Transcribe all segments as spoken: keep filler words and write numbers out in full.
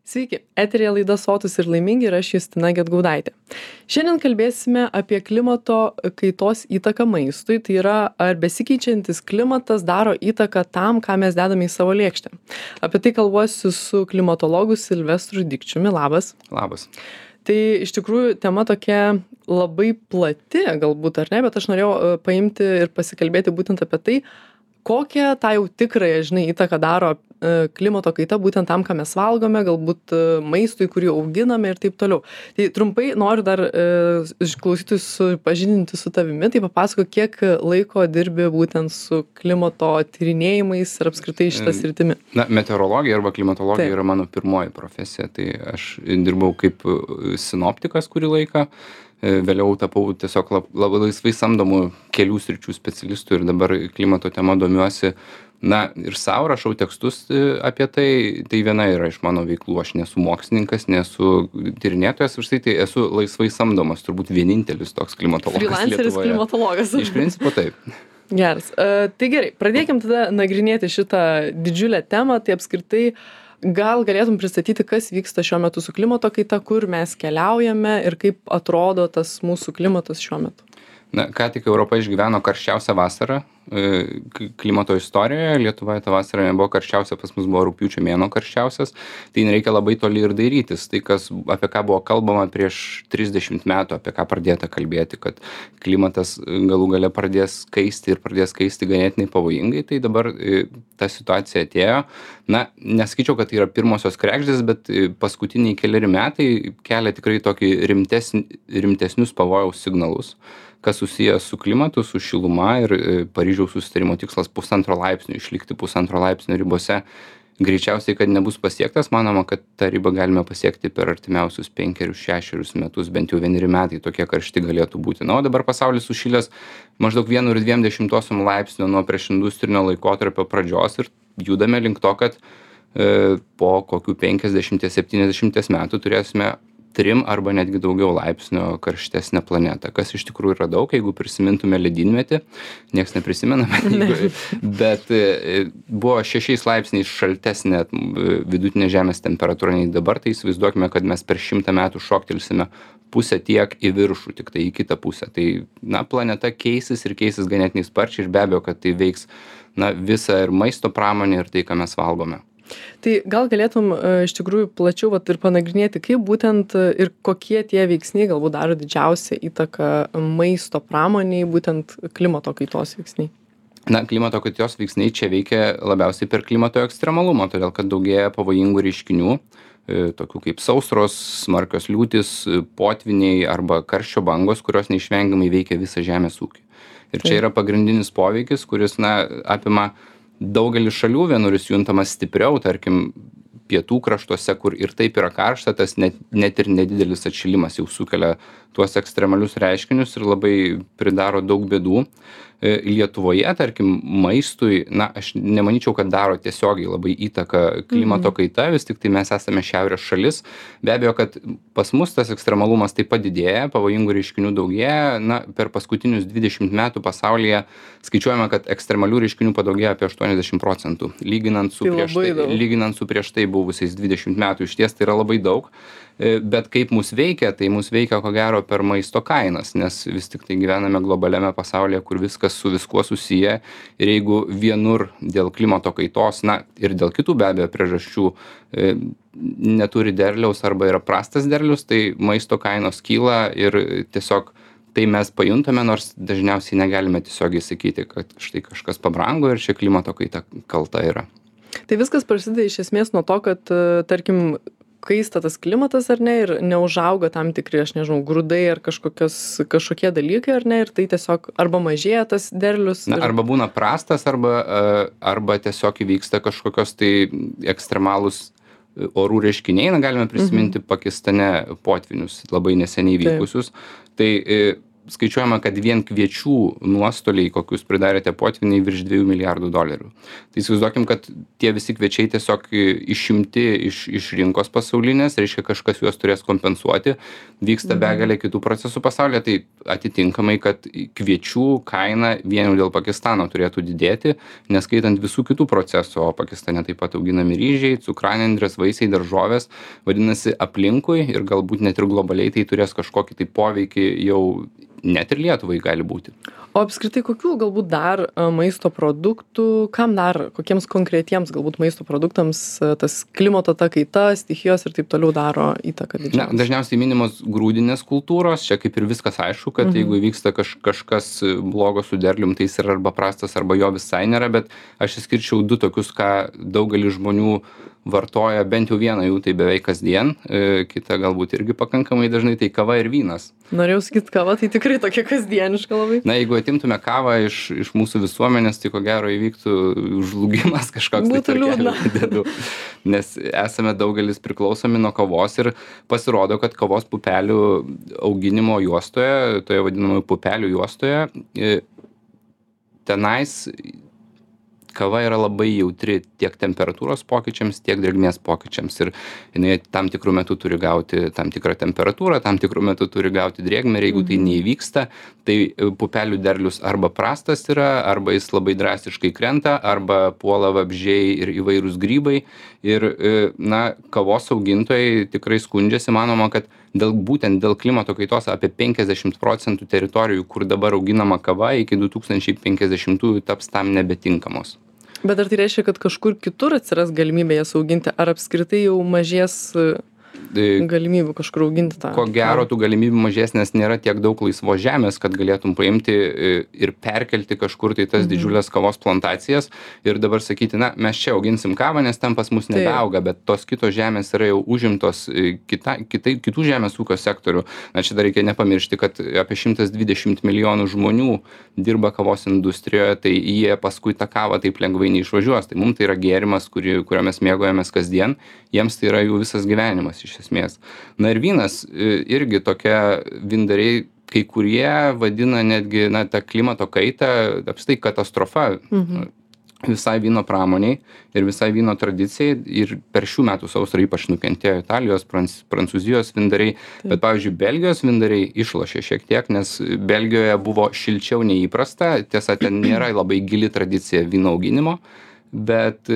Sveiki, eterija laida Sotūs ir laimingi ir aš Justina Gedgaudaitė. Šiandien kalbėsime apie klimato kaitos įtaką maistui, tai yra ar besikeičiantis klimatas daro įtaką tam, ką mes dedame į savo lėkštę. Apie tai kalbuosiu su klimatologu Silvestru Dikčiumi. Labas. Labas. Tai iš tikrųjų tema tokia labai plati galbūt, ar ne, bet aš norėjau paimti ir pasikalbėti būtent apie tai, kokią tą jau tikrąją, žinai, įtaką daro klimato kaita būtent tam, ką mes valgome, galbūt maistui, kurį auginame ir taip toliau. Tai trumpai noriu dar klausytis supažindinti su tavimi, tai papasako, kiek laiko dirbi būtent su klimato tyrinėjimais ir apskritai šitą sritimi. Na, meteorologija arba klimatologija Taip. yra mano pirmoji profesija, tai aš dirbau kaip sinoptikas kurį laiką. Vėliau tapau tiesiog labai laisvai samdomų kelių sričių specialistų ir dabar klimato tema domiuosi. Na, ir savo rašau tekstus apie tai, tai viena yra iš mano veiklų, aš nesu mokslininkas, nesu tyrinėtojas, už tai, tai esu laisvai samdomas, turbūt vienintelis toks klimatologas Lietuvoje. Freelanceris klimatologas. Iš principo taip. Geras. Uh, tai gerai, pradėkim tada nagrinėti šitą didžiulę temą, tai apskritai gal galėtum pristatyti, kas vyksta šiuo metu su klimato kaita, kur mes keliaujame ir kaip atrodo tas mūsų klimatas šiuo metu. Na, ką tik Europa išgyveno karščiausią vasarą klimato istorijoje. Lietuvoje ta vasara nebuvo karščiausia, pas mus buvo rugpjūčio mėnuo karščiausias. Tai nereikia labai toli ir dairytis. Tai, kas, apie ką buvo kalbama prieš trisdešimt metų, apie ką pradėta kalbėti, kad klimatas galų gale pradės kaisti ir pradės kaisti ganėtinai pavojingai, tai dabar ta situacija atėjo. Na, nesakyčiau, kad tai yra pirmosios kregždės, bet paskutiniai keliari metai kelia tikrai tokį rimtesn, rimtesnius pavojaus signalus, kas susijęs su klimatu, su šiluma ir Paryžiaus susitarimo tikslas pusantro laipsnio, išlikti pusantro laipsnio ribose. Greičiausiai, kad nebus pasiektas, manoma, kad tą ribą galime pasiekti per artimiausius penkerius, šešerius metus, bent jau vieneri metai tokie karšti galėtų būti. Na, o dabar pasaulis sušilęs maždaug vienu ir dviem dešimtosiom laipsnio nuo priešindustrinio laikotarpio pradžios ir judame link to, kad e, po kokių penkiasdešimties septyniasdešimties metų turėsime trim arba netgi daugiau laipsnio karštesnę planetą, kas iš tikrųjų yra daug, jeigu prisimintume ledynmetį, nieks neprisimename, jeigu, bet e, buvo šešiais laipsniais šaltesnė vidutinė Žemės temperatūra nei dabar, tai įsivaizduokime, kad mes per šimtą metų šoktelsime pusę tiek į viršų, tik tai į kitą pusę. Tai, na, planeta keisis ir keisis ganėtinai sparčiai ir be abejo, kad tai veiks, na, visą ir maisto pramonę ir tai, ką mes valgome. Tai gal galėtum iš tikrųjų plačiau vat, ir panagrinėti, kaip būtent ir kokie tie veiksniai galbūt daro didžiausią įtaką maisto pramoniai, būtent klimato kaitos veiksniai? Na, klimato kaitos veiksniai čia veikia labiausiai per klimato ekstremalumą, todėl kad daugėja pavojingų reiškinių, tokių kaip sausros, smarkios liūtys, potviniai arba karščio bangos, kurios neišvengiamai veikia visą žemės ūkį. Ir čia yra pagrindinis poveikis, kuris, na, apima daugelis šalių, vienur jis juntamas stipriau, tarkim, pietų kraštuose, kur ir taip yra karšta, tas net, net ir nedidelis atšilimas jau sukelia tuos ekstremalius reiškinius ir labai pridaro daug bėdų. Lietuvoje, tarkim, maistui, na, aš nemanyčiau, kad daro tiesiogiai labai įtaką klimato kaita, vis tik tai mes esame šiaurės šalis. Be abejo, kad pas mus tas ekstremalumas taip pat didėja, pavojingų reiškinių daugėja. Na, per paskutinius dvidešimt metų pasaulyje skaičiuojame, kad ekstremalių reiškinių padaugėjo apie aštuoniasdešimt procentų. Lyginant su, tai prieš tai, lyginant su prieš tai buvusiais dvidešimt metų, iš ties tai yra labai daug. Bet kaip mus veikia, tai mus veikia ko gero per maisto kainas, nes vis tik tai gyvename globaliame pasaulyje, kur viskas su viskuo susiję ir jeigu vienur dėl klimato kaitos, na ir dėl kitų be abejo priežasčių e, neturi derliaus arba yra prastas derlius, tai maisto kainos kyla ir tiesiog tai mes pajuntame, nors dažniausiai negalime tiesiogiai sakyti, kad štai kažkas pabrango ir čia klimato kaita kalta yra. Tai viskas prasideda iš esmės nuo to, kad, tarkim, kaista tas klimatas ar ne ir neužauga tam tikri, aš nežinau, grūdai ar kažkokios, kažkokie dalykai ar ne ir tai tiesiog arba mažėja tas derlius. Na, ir... arba būna prastas, arba, arba tiesiog įvyksta kažkokios tai ekstremalūs orų reiškiniai. Na, galime prisiminti mhm. Pakistane potvinius labai neseniai vykusius. Taip. Tai skaičiuojama, kad vien kviečių nuostoliai, kokius pridarėte potviniai, virš dviejų milijardų dolerių. Tai įsivaizduokim, kad tie visi kviečiai tiesiog išimti iš, iš rinkos pasaulinės, reiškia kažkas juos turės kompensuoti, vyksta begalė kitų procesų pasaulyje, tai atitinkamai, kad kviečių kaina vien jau dėl Pakistano turėtų didėti, neskaitant visų kitų procesų, o Pakistane taip pat auginami ryžiai, cukranendrės, vaisiai, daržovės, vadinasi aplinkui ir galbūt net ir globaliai tai turės kažkokį tai poveikį jau net ir Lietuvai gali būti. O apskritai, kokių galbūt dar maisto produktų, kam dar, kokiems konkretiems galbūt maisto produktams tas klimato ta kaita, stichijos ir taip toliau daro įtaką didžiausią? Na, dažniausiai minimos grūdinės kultūros, čia kaip ir viskas aišku, kad mhm. jeigu vyksta kaž, kažkas blogo su derlium, tai jis yra arba prastas, arba jo visai nėra, bet aš išskirčiau du tokius, ką daugelis žmonių vartoja, bent jau vieną jų tai beveik kasdien, e, kita galbūt irgi pakankamai dažnai, tai kava ir vynas. Norėjau sakyti, kava tai tikrai tokia kasdieniška labai. Na, jeigu atimtume kavą iš, iš mūsų visuomenės, tai ko gero įvyktų žlugimas kažkoks. Būtų liūdna. Dėdu, nes esame daugelis priklausomi nuo kavos ir pasirodo, kad kavos pupelių auginimo juostoje, toje vadinamoje pupelių juostoje, e, tenais kava yra labai jautri tiek temperatūros pokyčiams, tiek drėgmės pokyčiams. Ir jinai tam tikrų metų turi gauti tam tikrą temperatūrą, tam tikrų metų turi gauti drėgmę ir jeigu tai neįvyksta, tai pupelių derlius arba prastas yra, arba jis labai drastiškai krenta, arba puola vabzdžiai ir įvairūs grybai. Ir, na, kavos augintojai tikrai skundžiasi, manoma, kad dėl, būtent dėl klimato kaitos apie penkiasdešimt procentų teritorijų, kur dabar auginama kava, iki du tūkstančiai penkiasdešimtųjų taps tam nebetinkamos. Bet ar tai reiškia, kad kažkur kitur atsiras galimybė jas auginti, ar apskritai jau mažės galimybių kažkur auginti tą? Ko gero, tų galimybių mažės, nes nėra tiek daug laisvos žemės, kad galėtum paimti ir perkelti kažkur tai tas mhm. didžiulės kavos plantacijas ir dabar sakyti, na, mes čia auginsim kavą, nes ten pas mus nebeauga, bet tos kitos žemės yra jau užimtos kita, kitai, kitų žemės ūkio sektorių. Na, čia dar reikia nepamiršti, kad apie šimtas dvidešimt milijonų žmonių dirba kavos industrijoje, tai jie paskui tą kavą taip lengvai neišvažiuos. Tai mums tai yra gėrimas, kurį, kurio mes mėgojamės kasdien, jiems tai yra jų visas gyvenimas iš esmės. Na ir vynas irgi tokia vyndariai, kai kurie vadina netgi, na, tą klimato kaitą, apstai katastrofa mhm. visai vyno pramoniai ir visai vyno tradicijai ir per šių metų sausrą ypač nukentėjo Italijos, Prancūzijos vyndariai, Taip. bet pavyzdžiui, Belgijos vyndariai išlošė šiek tiek, nes Belgijoje buvo šilčiau neįprasta, tiesa, ten nėra labai gili tradicija vyno auginimo, bet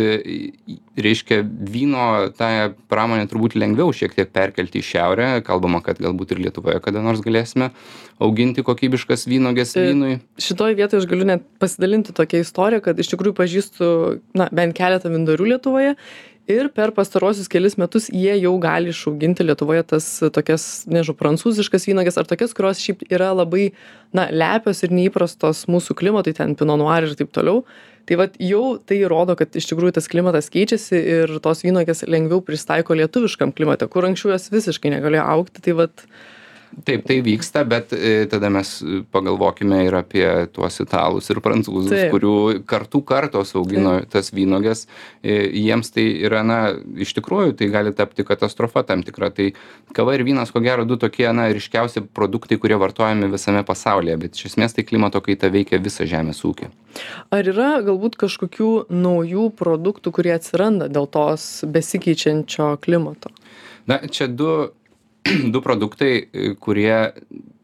reiškia vyno tą pramonę turbūt lengviau šiek tiek perkelti į šiaurę, kalbama, kad galbūt ir Lietuvoje kada nors galėsime auginti kokybiškas vynuoges vynui. Šitoj vietoje aš galiu net pasidalinti tokią istoriją, kad iš tikrųjų pažįstu, na, bent keletą vyndarių Lietuvoje ir per pastarosius kelis metus jie jau gali išauginti Lietuvoje tas tokias, nežinau, prancūziškas vynuoges ar tokias, kurios šiaip yra labai, na, lepios ir neįprastos mūsų klimatui, ten Pinot Noir ir taip toliau. Tai vat jau tai rodo, kad iš tikrųjų tas klimatas keičiasi ir tos vynuogės lengviau pristaiko lietuviškam klimate, kur anksčiau jos visiškai negalėjo augti. Tai vat... Taip, tai vyksta, bet e, tada mes pagalvokime ir apie tuos italus ir prancūzus, Taip. kurių kartų kartos augino Taip. tas vynuogės. E, jiems tai yra, na, iš tikrųjų, tai gali tapti katastrofa tam tikra. Tai kava ir vynas, ko gero, du tokie, na, ryškiausi produktai, kurie vartojami visame pasaulyje, bet iš esmės tai klimato kaita veikia visą žemės ūkį. Ar yra galbūt kažkokių naujų produktų, kurie atsiranda dėl tos besikeičiančio klimato? Na, čia du du produktai, kurie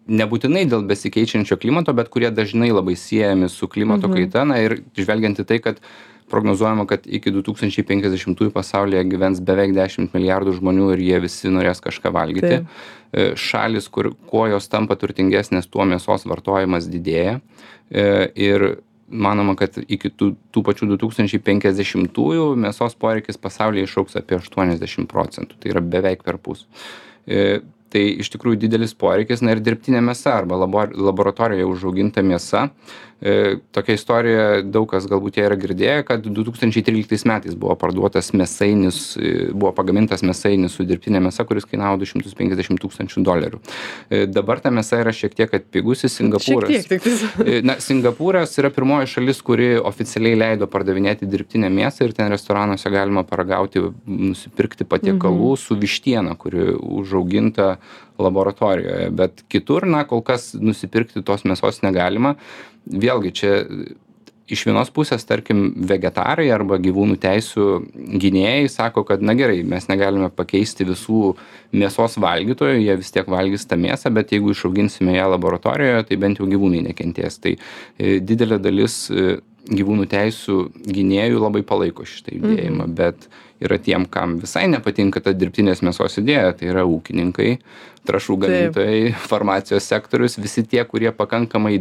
nebūtinai dėl besikeičiančio klimato, bet kurie dažnai labai siejami su klimato mhm. kaita. Na ir žvelgiant į tai, kad prognozuojama, kad iki du tūkstančiai penkiasdešimtųjų pasaulyje gyvens beveik dešimt milijardų žmonių ir jie visi norės kažką valgyti. Taip. Šalis, kur kuo jos tampa turtingesnės, tuo mėsos vartojimas didėja. Ir manoma, kad iki tų, tų pačių du tūkstančiai penkiasdešimtųjų mėsos poreikis pasaulyje išaugs apie aštuoniasdešimt procentų. Tai yra beveik perpus. Tai iš tikrųjų didelis poreikis, na ir dirbtinė mėsa arba laboratorijoje užauginta mėsa. E, tokia istorija, daug kas galbūt ją yra girdėję, kad du tūkstančiai tryliktais metais buvo parduotas mėsainis, buvo pagamintas mėsainis su dirbtinė mėsa, kuris kainavo du šimtus penkiasdešimt tūkstančių dolerių. E, dabar ta mėsa yra šiek tiek atpigusi. Singapūras. Šiek tiek, tik e, na, Singapūras yra pirmoji šalis, kuri oficialiai leido pardavinėti dirbtinę mėsą ir ten restoranuose galima paragauti, nusipirkti patiekalų mhm. su vištiena, kuri užauginta laboratorijoje, bet kitur, na, kol kas nusipirkti tos mėsos negalima. Vėlgi, čia iš vienos pusės, tarkim, vegetarai arba gyvūnų teisų gynėjai sako, kad na gerai, mes negalime pakeisti visų mėsos valgytojų, jie vis tiek valgys tą mėsą, bet jeigu išauginsime ją laboratorijoje, tai bent jau gyvūnai nekentės. Tai e, didelė dalis e, gyvūnų teisų gynėjų labai palaiko šitą judėjimą, mhm. bet yra tiem, kam visai nepatinka ta dirbtinės mėsos idėja, tai yra ūkininkai, trąšų gamintojai, Taip. farmacijos sektorius, visi tie, kurie pakankamai,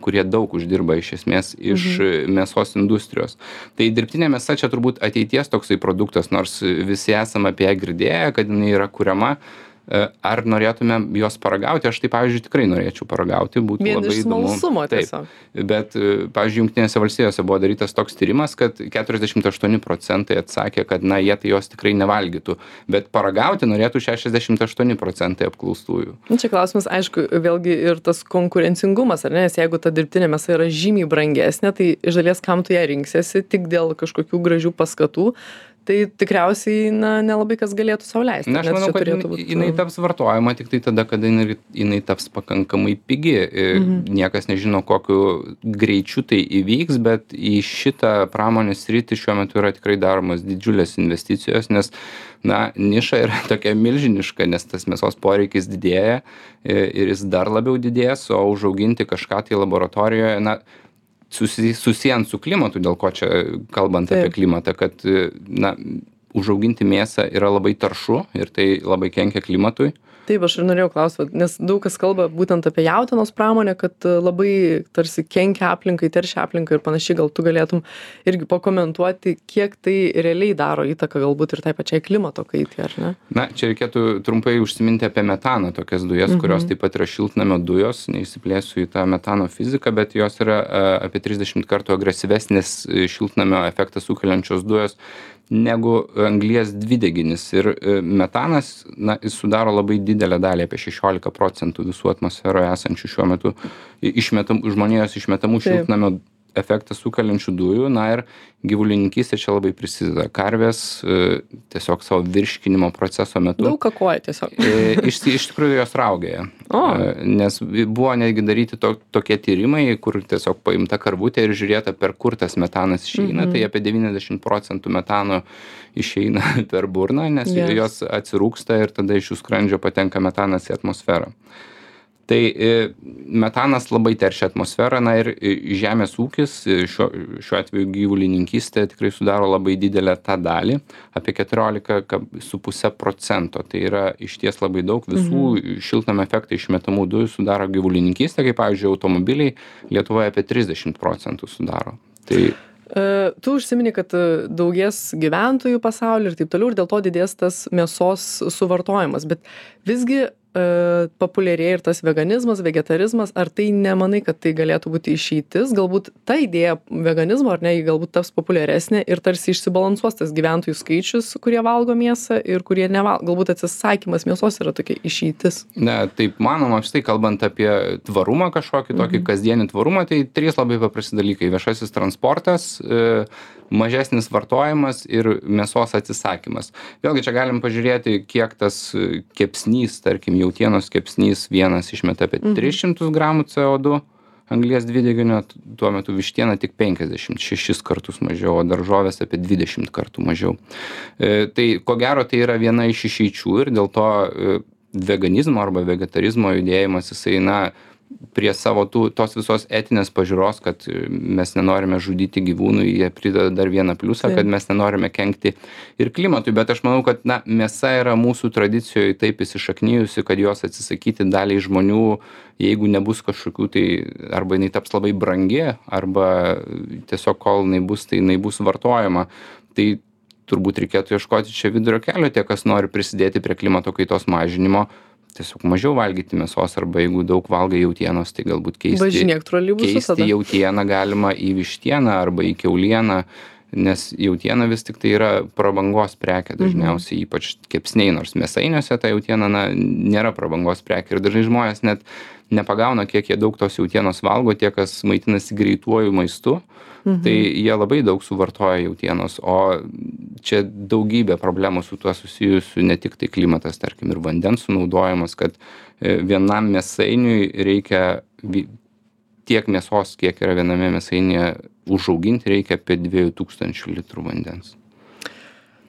kurie daug uždirba iš esmės iš mhm. mėsos industrijos. Tai dirbtinė mėsa čia turbūt ateities toksai produktas, nors visi esame apie ją girdėję, kad jinai yra kuriama. Ar norėtume jos paragauti? Aš tai, pavyzdžiui, tikrai norėčiau paragauti, būtų Vien labai įdomu. Vien iš smalsumo tiesiog. Taip, bet, pavyzdžiui, Jungtinėse valstijose buvo darytas toks tyrimas, kad keturiasdešimt aštuoni procentai atsakė, kad, na, jie tai jos tikrai nevalgytų, bet paragauti norėtų šešiasdešimt aštuoni procentai apklaustųjų. Čia klausimas, aišku, vėlgi ir tas konkurencingumas, ar ne, nes jeigu ta dirbtinė mėsa yra žymiai brangesnė, tai iš dalies kam tu ją rinksiesi tik dėl kažkokių gražių paskatų, tai tikriausiai, na, nelabai kas galėtų sau leisti. Na, aš manau, kad būt... jinai taps vartojama tik tai tada, kada jinai, jinai taps pakankamai pigi. Mhm. Niekas nežino, kokiu greičiu tai įvyks, bet į šitą pramonės sritį šiuo metu yra tikrai daromas didžiulės investicijos, nes, na, niša yra tokia milžiniška, nes tas mėsos poreikis didėja ir jis dar labiau didės, o užauginti kažką tai laboratorijoje, na, susijant su klimatu, dėl ko čia kalbant Taip. apie klimatą, kad, na, užauginti mėsą yra labai taršu ir tai labai kenkia klimatui. Taip, aš ir norėjau klausti, nes daug kas kalba būtent apie jautienos pramonę, kad labai tarsi kenkia aplinkai, teršia aplinkai ir panašiai, gal tu galėtum irgi pakomentuoti, kiek tai realiai daro įtaką galbūt ir tai pačiai klimato kaitai, ar ne? Na, čia reikėtų trumpai užsiminti apie metaną, tokias dujas, mhm. kurios taip pat yra šiltnamio dujos, neįsiplėsiu į tą metano fiziką, bet jos yra apie trisdešimt kartų agresyvesnės šiltnamio efektą sukeliančios dujos negu anglies dvideginis. Ir metanas, na, jis sudaro labai didelę dalį, apie šešiolika procentų visų atmosferoje esančių šiuo metu išmetam, žmonijos išmetamų Taip. šiltnamio efektą sukeliančių dujų. Na ir gyvulininkystė čia labai prisideda. Karvės tiesiog savo virškinimo proceso metu. Daug kakoja tiesiog. Iš, iš tikrųjų jos raugėja. O. Nes buvo netgi daryti to, tokie tyrimai, kur tiesiog paimta karvutė ir žiūrėta, per kur tas metanas išeina. Mhm. Tai apie devyniasdešimt procentų metano išeina per burną, nes yes. jos atsirūksta ir tada iš jų skrandžio patenka metanas į atmosferą. Tai metanas labai teršia atmosferą, na ir žemės ūkis, šiuo, šiuo atveju gyvulininkystė tikrai sudaro labai didelę tą dalį, apie keturiolika su puse procento. Tai yra išties labai daug, visų mhm. šiltnamio efektą išmetamų dujų sudaro gyvulininkystė, kaip pavyzdžiui automobiliai Lietuvoje apie trisdešimt procentų sudaro. Tai Tu užsimini, kad daugės gyventojų pasaulyje ir taip toliau, ir dėl to didės tas mėsos suvartojimas, bet visgi populiarėja ir tas veganizmas, vegetarizmas, ar tai nemanai, kad tai galėtų būti išeitis? Galbūt ta idėja veganizmo, ar ne, galbūt taps populiaresnė ir tarsi išsibalansuos tas gyventojų skaičius, kurie valgo mėsą ir kurie nevalgo. Galbūt atsisakymas mėsos yra tokia išeitis. Ne, taip manoma, štai kalbant apie tvarumą kažkokį, tokį mhm. kasdienį tvarumą, tai trys labai paprasti dalykai. Viešasis transportas, mažesnis vartojimas ir mėsos atsisakymas. Vėlgi čia galim pažiūrėti, kiek tas kepsnys, tarkim, jautienos kepsnys vienas išmeta apie tris šimtus gramų C O du anglies dvideginio, tuo metu vištiena tik penkiasdešimt šešis kartus mažiau, o daržovės apie dvidešimt kartų mažiau. E, tai ko gero tai yra viena iš išeičių ir dėl to e, veganizmo arba vegetarizmo judėjimas jisai, na, prie savo tų, tos visos etinės pažiūros, kad mes nenorime žudyti gyvūnų, jie prideda dar vieną pliusą, kad mes nenorime kenkti ir klimatui, bet aš manau, kad, na, mėsa yra mūsų tradicijoje taip įsišaknijusi, kad jos atsisakyti daliai žmonių, jeigu nebus kažkokių, tai arba jinai taps labai brangi, arba tiesiog kol jinai bus, tai jinai bus vartojama. Tai turbūt reikėtų ieškoti čia vidurio kelio, tie, kas nori prisidėti prie klimato kaitos mažinimo, tiesiog mažiau valgyti mėsos, arba jeigu daug valgai jautienos, tai galbūt keisti, keisti jautieną galima į vištieną arba į kiaulieną, nes jautiena vis tik tai yra prabangos prekė dažniausiai, mhm. ypač kepsniai, nors mėsainiuose ta jautiena, na, nėra prabangos prekė ir dažnai žmonės net nepagauna, kiek jie daug tos jautienos valgo, tie, kas maitinasi greituoju maistu, mhm. tai jie labai daug suvartoja jautienos, o čia daugybė problemų su tuo susijusių, ne tik tai klimatas, tarkim, ir vandens sunaudojimas, kad vienam mėsainiui reikia tiek mėsos, kiek yra viename mėsainėje, užauginti reikia apie dviejų tūkstančių litrų vandens.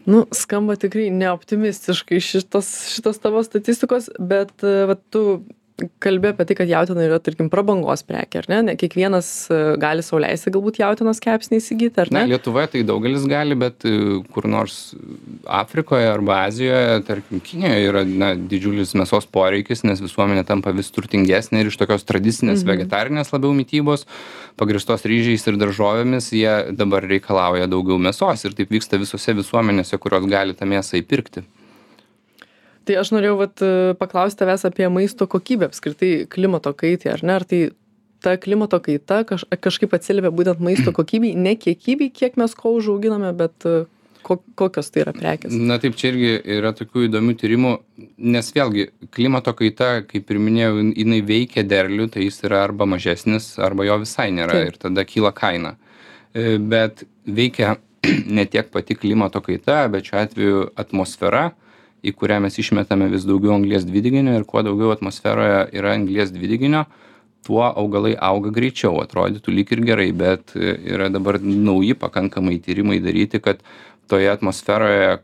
Nu, skamba tikrai neoptimistiškai šitos, šitos tavo statistikos, bet vat, tu kalbė apie tai, kad jautiena yra, tarkim, prabangos prekė, ar ne? Ne kiekvienas gali sau leisti galbūt jautienos kepsnį įsigyti, ar ne? Na, Lietuvoje tai daugelis gali, bet kur nors Afrikoje arba Azijoje, tarkim, Kinijoje yra na, didžiulis mėsos poreikis, nes visuomenė tampa vis turtingesnė ir iš tokios tradicinės mhm. vegetarinės labiau mitybos, pagristos ryžiais ir daržovėmis, jie dabar reikalauja daugiau mėsos ir taip vyksta visose visuomenėse, kurios gali tą mėsą įpirkti. Tai aš norėjau vat, paklausti tavęs apie maisto kokybę, apskritai klimato kaitai, ar ne? Ar tai ta klimato kaita kaž, kažkaip atsiliepia būtent maisto kokybei, ne kiekybei, kiek mes ko užauginame, bet ko, kokios tai yra prekės? Na taip, čia irgi yra tokių įdomių tyrimų, nes vėlgi klimato kaita, kaip ir minėjau, jinai veikia derlių, tai jis yra arba mažesnis, arba jo visai nėra taip. Ir tada kyla kaina. Bet veikia ne tiek pati klimato kaita, bet šiuo atveju atmosfera, į kurią mes išmetame vis daugiau anglies dvideginio ir kuo daugiau atmosferoje yra anglies dvideginio, tuo augalai auga greičiau, atrodytų lyg ir gerai, bet yra dabar nauji pakankamai tyrimai daryti, kad toje atmosferoje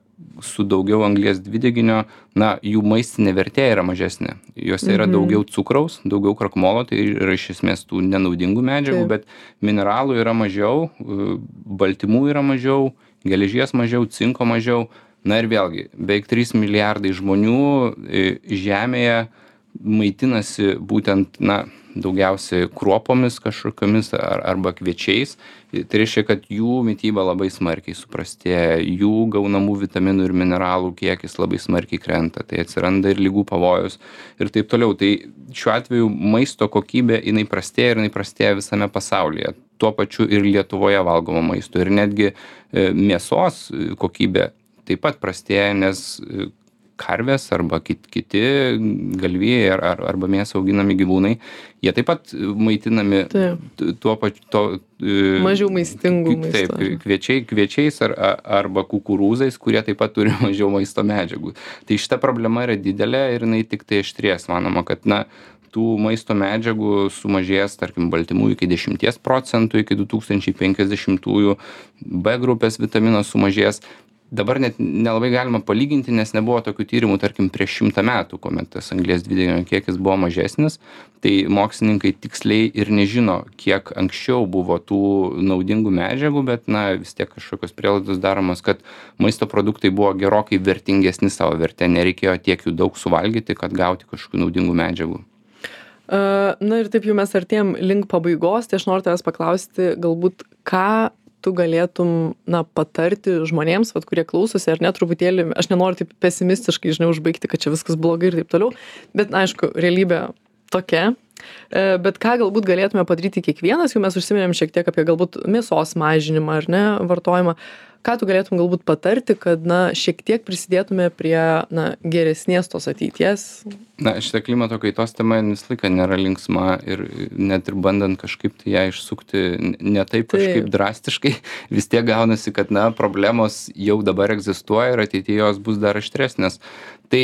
su daugiau anglies dvideginio, na, jų maistinė vertė yra mažesnė. Juose yra mhm. daugiau cukraus, daugiau krakmolo, tai yra iš esmės tų nenaudingų medžiagų, Taip. Bet mineralų yra mažiau, baltymų yra mažiau, geležies mažiau, cinko mažiau. Na ir vėlgi, beveik trys milijardai žmonių Žemėje maitinasi būtent, na, daugiausiai kruopomis kažkokiamis ar, arba kviečiais. Tai reiškia, kad jų mityba labai smarkiai suprastėja, jų gaunamų vitaminų ir mineralų kiekis labai smarkiai krenta, tai atsiranda ir ligų pavojus ir taip toliau. Tai šiuo atveju maisto kokybė, jinai prastėja ir jinai prastėja visame pasaulyje. Tuo pačiu ir Lietuvoje valgomo maisto ir netgi mėsos kokybė taip pat prastėja, nes karvės arba kiti galvijai ar, ar, arba mėsą auginami gyvūnai, jie taip pat maitinami taip. tuo pačiu... To, mažiau maistingų maisto. Taip, kviečiai, kviečiais ar, arba kukurūzais, kurie taip pat turi mažiau maisto medžiagų. Tai šita problema yra didelė ir jinai tik tai aštrės. Manoma, kad na, tų maisto medžiagų sumažės, tarkim, baltymų iki dešimties procentų, iki du tūkstančiai penkiasdešimtųjų, B grupės vitaminas sumažės. Dabar net nelabai galima palyginti, nes nebuvo tokių tyrimų, tarkim, prieš šimtą metų, kuomet tas anglies dvideginio kiekis buvo mažesnis, tai mokslininkai tiksliai ir nežino, kiek anksčiau buvo tų naudingų medžiagų, bet, na, vis tiek kažkokios prielaidos daromos, kad maisto produktai buvo gerokai vertingesni savo vertę, nereikėjo tiek jų daug suvalgyti, kad gauti kažkokių naudingų medžiagų. Na ir taip jau mes artėjom link pabaigos, tai aš noriu tavęs paklausti, galbūt ką tu galėtum, na, patarti žmonėms, vat, kurie klausosi, ar ne, truputėlį, aš nenoriu taip pesimistiškai, žinai, užbaigti, kad čia viskas blogai ir taip toliau, bet, na, aišku, realybė tokia, bet ką galbūt galėtume padaryti kiekvienas, jau mes užsiminėm šiek tiek apie galbūt mėsos mažinimą, ar ne, vartojimą, ką tu galėtum galbūt patarti, kad, na, šiek tiek prisidėtume prie, na, geresnės tos ateities? Na, šitą klimato kaitos tema visą laiką nėra linksma ir net ir bandant kažkaip tai ją išsukti ne taip kažkaip taip. drastiškai, vis tiek gaunasi, kad, na, problemos jau dabar egzistuoja ir ateityje jos bus dar aštresnės. Tai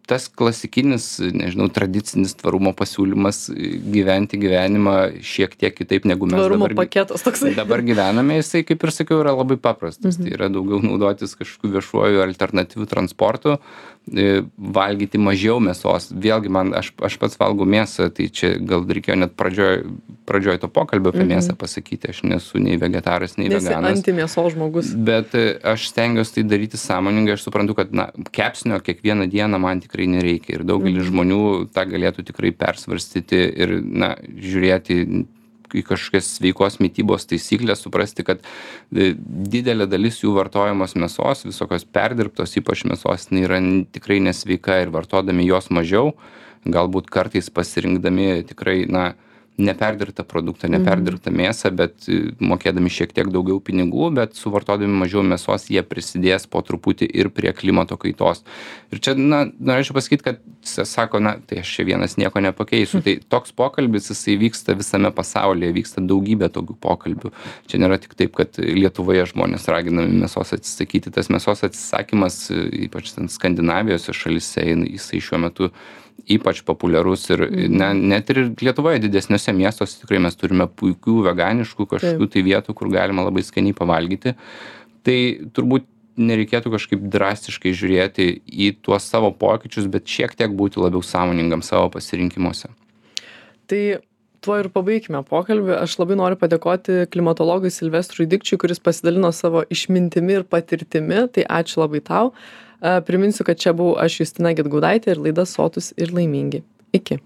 tas klasikinis, nežinau, tradicinis tvarumo pasiūlymas gyventi gyvenimą šiek tiek kitaip negu mes tvarumo dabar, paketas toksai. dabar gyvename, jisai, kaip ir sakiau, yra labai paprastas. Mhm. Tai yra daugiau naudotis kažkokiu viešuoju alternatyviu transportu, valgyti mažiau mėsos. Vėlgi, man, aš, aš pats valgau mėsą, tai čia gal reikėjo net pradžioj, pradžioj to pokalbio apie mhm. mėsą pasakyti. Aš nesu nei vegetaras, nei Nesi veganas. antimėsos žmogus. Bet aš stengiuosi tai daryti sąmoningai. Aš suprantu, kad, na, kepsnio kiekvieną dieną man tikrai nereikia. Ir daugelis mhm. žmonių tą galėtų tikrai persvarstyti ir, na, žiūrėti į kažkokias sveikos mitybos taisyklės, suprasti, kad didelė dalis jų vartojamos mėsos, visokios perdirbtos, ypač mėsos, yra tikrai nesveika ir vartodami jos mažiau, galbūt kartais pasirinkdami tikrai, na, neperdirbtą produktą, neperdirbtą mėsą, bet mokėdami šiek tiek daugiau pinigų, bet suvartodami mažiau mėsos, jie prisidės po truputį ir prie klimato kaitos. Ir čia, na, norėčiau pasakyti, kad sako, na, tai aš čia vienas nieko nepakeisiu. Tai toks pokalbis, jisai vyksta visame pasaulyje, vyksta daugybė tokių pokalbių. Čia nėra tik taip, kad Lietuvoje žmonės raginami mėsos atsisakyti. Tas mėsos atsisakymas, ypač ten Skandinavijos šalyse, jisai šiuo metu ypač populiarus ir ne, net ir Lietuvoje didesniuose miestuose tikrai mes turime puikių veganiškų kažkokių tai vietų, kur galima labai skaniai pavalgyti. Tai turbūt nereikėtų kažkaip drastiškai žiūrėti į tuos savo pokyčius, bet šiek tiek būti labiau sąmoningam savo pasirinkimuose. Tai tuo ir pabaikime pokalbį. Aš labai noriu padėkoti klimatologui Silvestrui Dikčiui, kuris pasidalino savo išmintimi ir patirtimi. Tai ačiū labai tau. Priminsiu, kad čia buvau aš Justina Gedgaudaitė ir laida Sotūs ir laimingi. Iki.